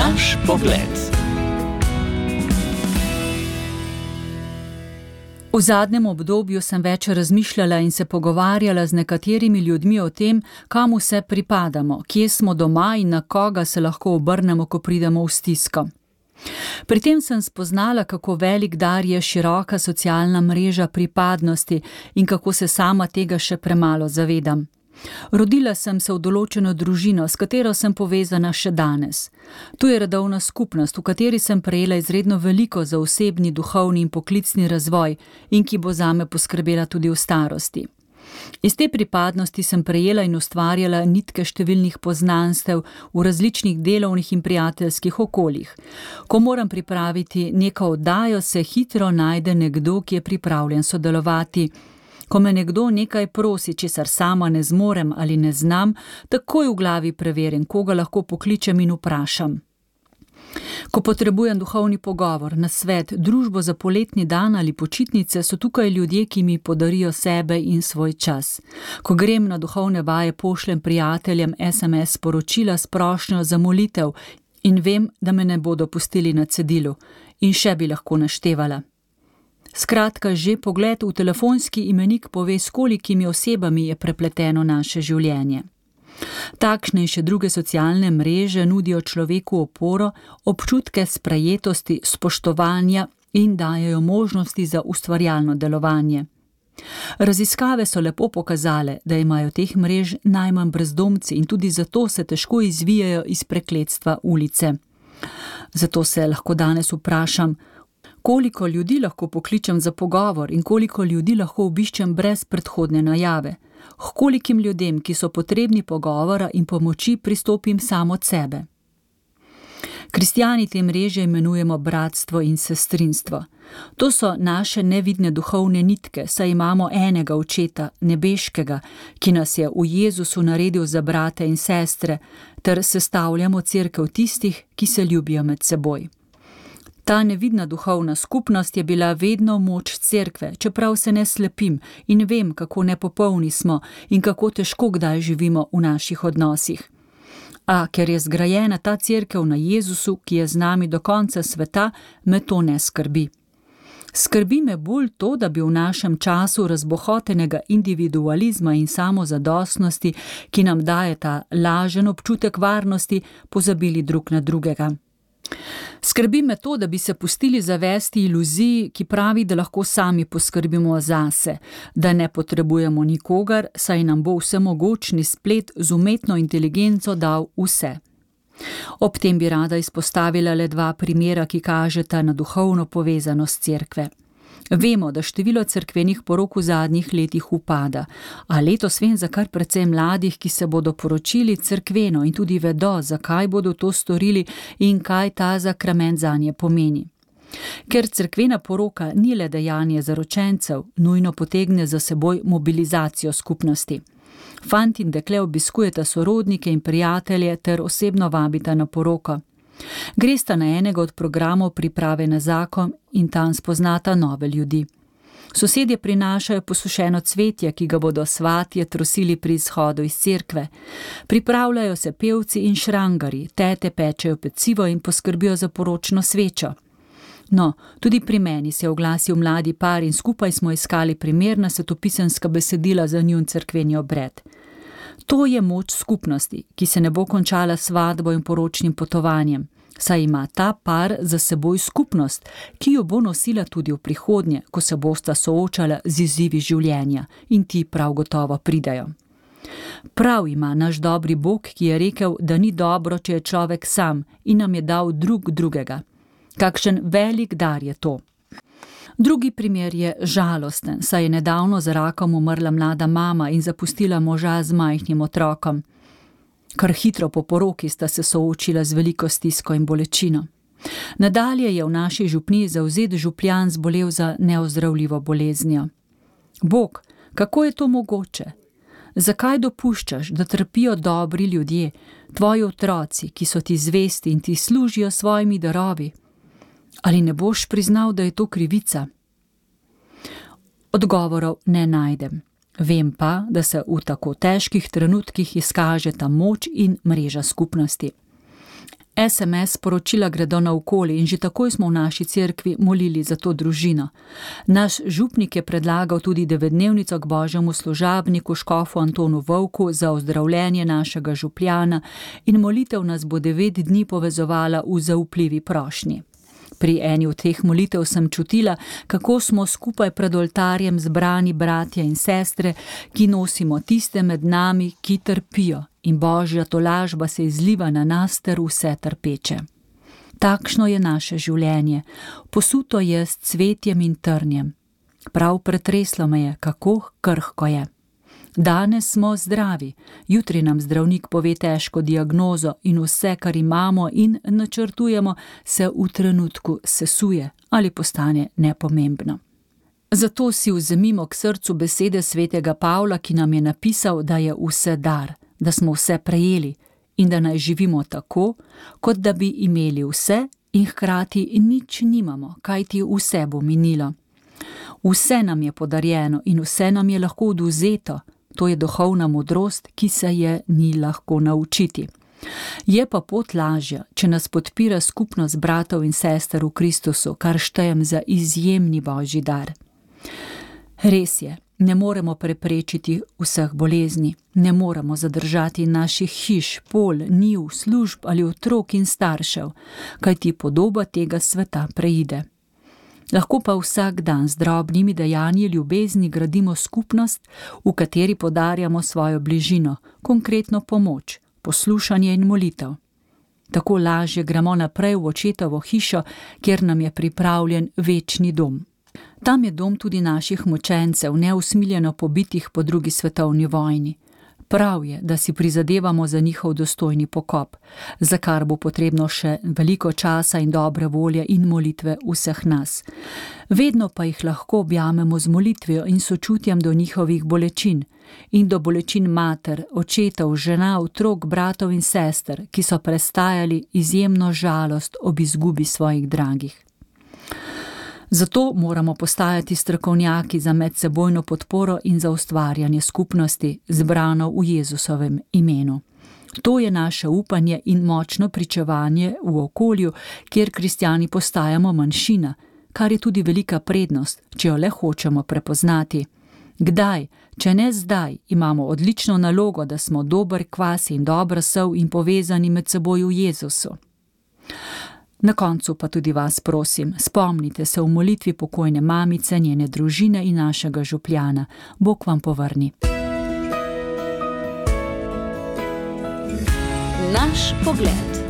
Naš pogled. V zadnjem obdobju sem več razmišljala in se pogovarjala z nekaterimi ljudmi o tem, kam vse pripadamo, kje smo doma in na koga se lahko obrnemo, ko pridemo v stisko. Pri tem sem spoznala, kako velik dar je široka socialna mreža pripadnosti in kako se sama tega še premalo zavedam. Rodila sem se v določeno družino, s katero sem povezana še danes. Tu je redovna skupnost, v kateri sem prejela izredno veliko za osebni, duhovni in poklicni razvoj in ki bo zame poskrbela tudi v starosti. Iz te pripadnosti sem prejela in ustvarjala nitke številnih poznanstev v različnih delovnih in prijateljskih okoljih. Ko moram pripraviti neko oddajo, se hitro najde nekdo, ki je pripravljen sodelovati. Ko me nekdo nekaj prosi, česar sama ne zmorem ali ne znam, takoj v glavi preverim, koga lahko pokličem in vprašam. Ko potrebujem duhovni pogovor, nasvet, družbo za poletni dan ali počitnice, so tukaj ljudje, ki mi podarijo sebe in svoj čas. Ko grem na duhovne vaje, pošljem prijateljem SMS sporočila s prošnjo za molitev in vem, da me ne bodo pustili na cedilu. In še bi lahko naštevala. Skratka, že pogled v telefonski imenik pove, s kolikimi osebami je prepleteno naše življenje. Takšne in še druge socialne mreže nudijo človeku oporo, občutke sprejetosti, spoštovanja in dajejo možnosti za ustvarjalno delovanje. Raziskave so lepo pokazale, da imajo teh mrež najmanj brezdomci in tudi zato se težko izvijajo iz prekletstva ulice. Zato se lahko danes vprašam, koliko ljudi lahko pokličem za pogovor in koliko ljudi lahko obiščem brez predhodne najave. H kolikim ljudem, ki so potrebni pogovora in pomoči, pristopim sam od sebe. Kristjani te mreže imenujemo bratstvo in sestrinstvo. To so naše nevidne duhovne nitke, saj imamo enega očeta, nebeškega, ki nas je v Jezusu naredil za brate in sestre, ter sestavljamo cerkev tistih, ki se ljubijo med seboj. Ta nevidna duhovna skupnost je bila vedno moč cerkve, čeprav se ne slepim in vem, kako nepopolni smo in kako težko kdaj živimo v naših odnosih. A ker je zgrajena ta cerkev na Jezusu, ki je z nami do konca sveta, me to ne skrbi. Skrbi me bolj to, da bi v našem času razbohotenega individualizma in samozadostnosti, ki nam daje ta lažen občutek varnosti, pozabili drug na drugega. Skrbi me to, da bi se pustili zavesti iluziji, ki pravi, da lahko sami poskrbimo zase, da ne potrebujemo nikogar, saj nam bo vsemogočni splet z umetno inteligenco dal vse. Ob tem bi rada izpostavila le 2 primera, ki kažeta na duhovno povezanost cerkve. Vemo, da število cerkvenih porok v zadnjih letih upada, a letos vem za kar precej mladih, ki se bodo poročili cerkveno in tudi vedo, zakaj bodo to storili in kaj ta sakrament zanje pomeni. Ker cerkvena poroka ni le dejanje zaročencev, nujno potegne za seboj mobilizacijo skupnosti. Fant in dekle obiskujeta sorodnike in prijatelje ter osebno vabita na poroko. Gresta na enega od programov priprave na zakon in tam spoznata nove ljudi. Sosedje prinašajo posušeno cvetje, ki ga bodo svatje trosili pri izhodu iz cerkve. Pripravljajo se pevci in šrangari, tete pečejo pecivo in poskrbijo za poročno svečo. No, tudi pri meni se je oglasil mladi par in skupaj smo iskali primerna svetopisemska besedila za njun cerkveni obred. To je moč skupnosti, ki se ne bo končala s svatbo in poročnim potovanjem, saj ima ta par za seboj skupnost, ki jo bo nosila tudi v prihodnje, ko se bosta soočala z izzivi življenja in ti prav gotovo pridejo. Prav ima naš dobri Bog, ki je rekel, da ni dobro, če je človek sam in nam je dal drug drugega. Kakšen velik dar je to. Drugi primer je žalosten, saj je nedavno z rakom umrla mlada mama in zapustila moža z majhnim otrokom. Kar hitro po poroki sta se soočila z veliko stisko in bolečino. Nadalje je v naši župniji zavzet župljan zbolel za neozdravljivo boleznijo. Bog, kako je to mogoče? Zakaj dopuščaš, da trpijo dobri ljudje, tvoji otroci, ki so ti zvesti in ti služijo svojimi darovi? Ali ne boš priznal, da je to krivica? Odgovorov ne najdem. Vem pa, da se v tako težkih trenutkih izkaže ta moč in mreža skupnosti. SMS sporočila gredo naokoli in že takoj smo v naši cerkvi molili za to družino. Naš župnik je predlagal tudi 9-dnevnico k božjemu služabniku škofu Antonu Vovku za ozdravljenje našega župljana in molitev nas bo 9 dni povezovala v zaupljivi prošnji. Pri eni od teh molitev sem čutila, kako smo skupaj pred oltarjem zbrani bratje in sestre, ki nosimo tiste med nami, ki trpijo, in božja tolažba se izliva na nas ter vse trpeče. Takšno je naše življenje, posuto je s cvetjem in trnjem. Prav pretreslo me je, kako krhko je. Danes smo zdravi, jutri nam zdravnik pove težko diagnozo in vse, kar imamo in načrtujemo, se v trenutku sesuje ali postane nepomembno. Zato si vzemimo k srcu besede svetega Pavla, ki nam je napisal, da je vse dar, da smo vse prejeli in da naj živimo tako, kot da bi imeli vse in hkrati nič nimamo, kajti vse bo minilo. Vse nam je podarjeno in vse nam je lahko odvzeto. To je duhovna modrost, ki se je ni lahko naučiti. Je pa pot lažja, če nas podpira skupnost bratov in sester v Kristusu, kar štejem za izjemni božji dar. Res je, ne moremo preprečiti vseh bolezni, ne moremo zadržati naših hiš, pol, njiv, služb ali otrok in staršev, kajti podoba tega sveta preide. Lahko pa vsak dan z drobnimi dejanji ljubezni gradimo skupnost, v kateri podarjamo svojo bližino, konkretno pomoč, poslušanje in molitev. Tako lažje gremo naprej v očetovo hišo, kjer nam je pripravljen večni dom. Tam je dom tudi naših mučencev, neusmiljeno pobitih po 2. svetovni vojni. Prav je, da si prizadevamo za njihov dostojni pokop, za kar bo potrebno še veliko časa in dobre volje in molitve vseh nas. Vedno pa jih lahko objamemo z molitvijo in sočutjem do njihovih bolečin in do bolečin mater, očetov, žena, otrok, bratov in sester, ki so prestajali izjemno žalost ob izgubi svojih dragih. Zato moramo postajati strokovnjaki za medsebojno podporo in za ustvarjanje skupnosti, zbrano v Jezusovem imenu. To je naše upanje in močno pričevanje v okolju, kjer kristjani postajamo manjšina, kar je tudi velika prednost, če jo le hočemo prepoznati. Kdaj, če ne zdaj, imamo odlično nalogo, da smo dober kvas in dobra sol in povezani med seboj v Jezusu. Na koncu pa tudi vas prosim, spomnite se v molitvi pokojne mamice, njene družine in našega župljana. Bog vam povrni. Naš pogled.